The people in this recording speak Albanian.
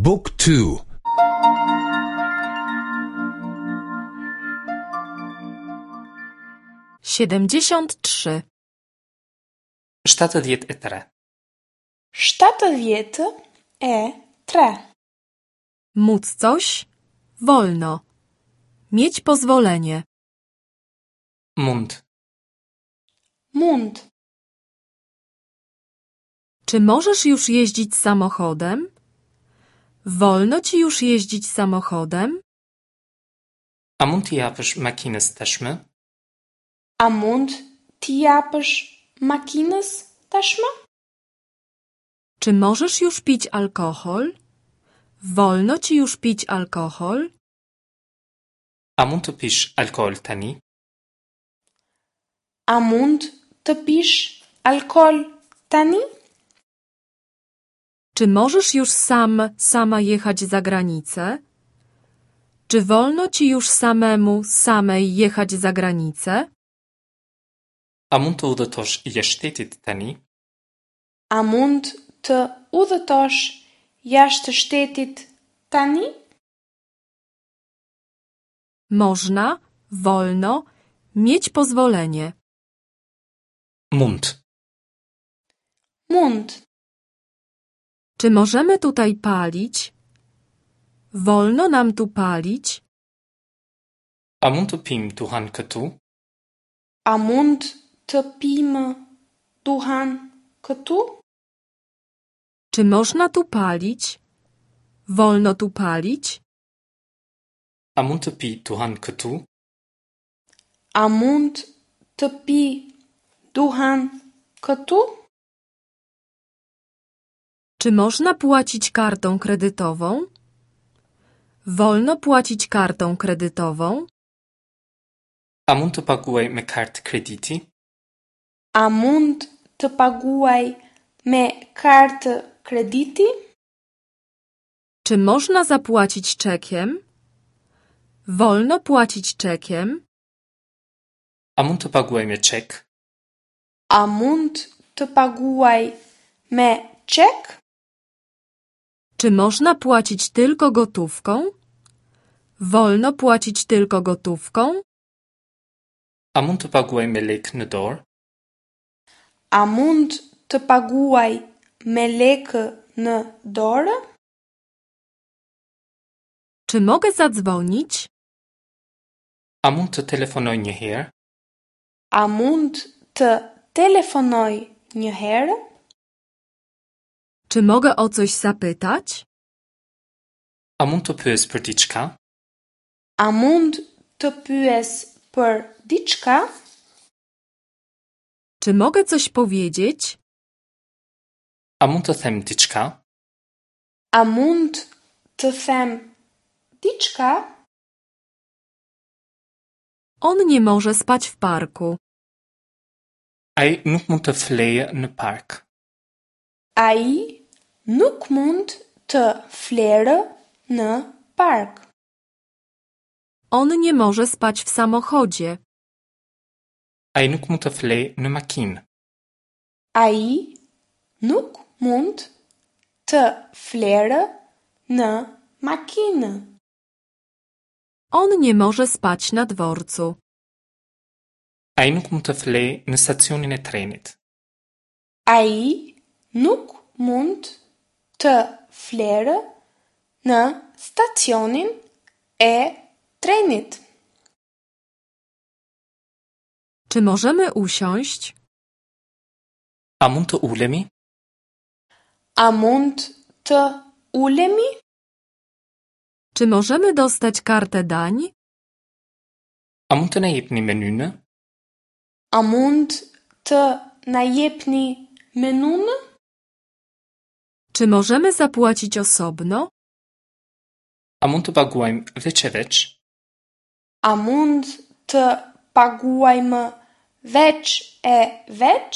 บุ๊กทู 73. 73. 73. Móc coś? Wolno. Mieć pozwolenie. Mund. Mund. Czy możesz już jeździć samochodem? Wolno ci już jeździć samochodem? A mund t'i japësh makinës tashmë? A mund t'i japësh makinës tashmë? Czy możesz już pić alkohol? Wolno ci już pić alkohol? A mund të pish alkool tani? A mund të pish alkool tani? Czy możesz już sam, sama jechać za granicę? Czy wolno ci już samemu, samej jechać za granicę? A mund të udhëtosh jashtë shtetit tani? A mund të udhëtosh jashtë shtetit tani? Można, wolno, mieć pozwolenie. Mund. Mund. Czy możemy tutaj palić? Wolno nam tu palić? A mund të pim duhan këtu? A mund të pimë duhan këtu? Czy można tu palić? Wolno tu palić? A mund të pi duhan këtu? A mund të pi duhan këtu? Czy można płacić kartą kredytową? Wolno płacić kartą kredytową? A mund të paguaj me kartë krediti? A mund të paguaj me kartë krediti? Czy można zapłacić czekiem? Wolno płacić czekiem? A mund të paguaj me çek? A mund të paguaj me çek? Czy można płacić tylko gotówką? Wolno płacić tylko gotówką? A mund të paguaj me lekë në dorë? A mund të paguaj me lekë në dorë? Czy mogę zadzwonić? A mund të telefonoj një herë? A mund të telefonoj një herë? Czy mogę o coś zapytać? A mund të pyes për diçka? A mund të pyes për diçka? Czy mogę coś powiedzieć? A mund të them diçka? A mund të them diçka? On nie może spać w parku. Ai nuk mund të flejë në park. Ai nuk mund të flerë në park. On nie może spać w samochodzie. Ai nuk mund të flejë në makinë. Ai nuk mund të flerë në makinë. On nie może spać na dworcu. Ai nuk mund të flejë në stacionin e trenit. Ai nuk mund të flerë në stacionin e trenit. Czy możemy usiąść? A mund të ulemi? A mund të ulemi? Czy możemy dostać kartę dań? A mund të na jepni menynë? A mund të na jepni menunë? Czy możemy zapłacić osobno? A mund të paguajmë veç e veç? A mund të paguajmë veç e veç?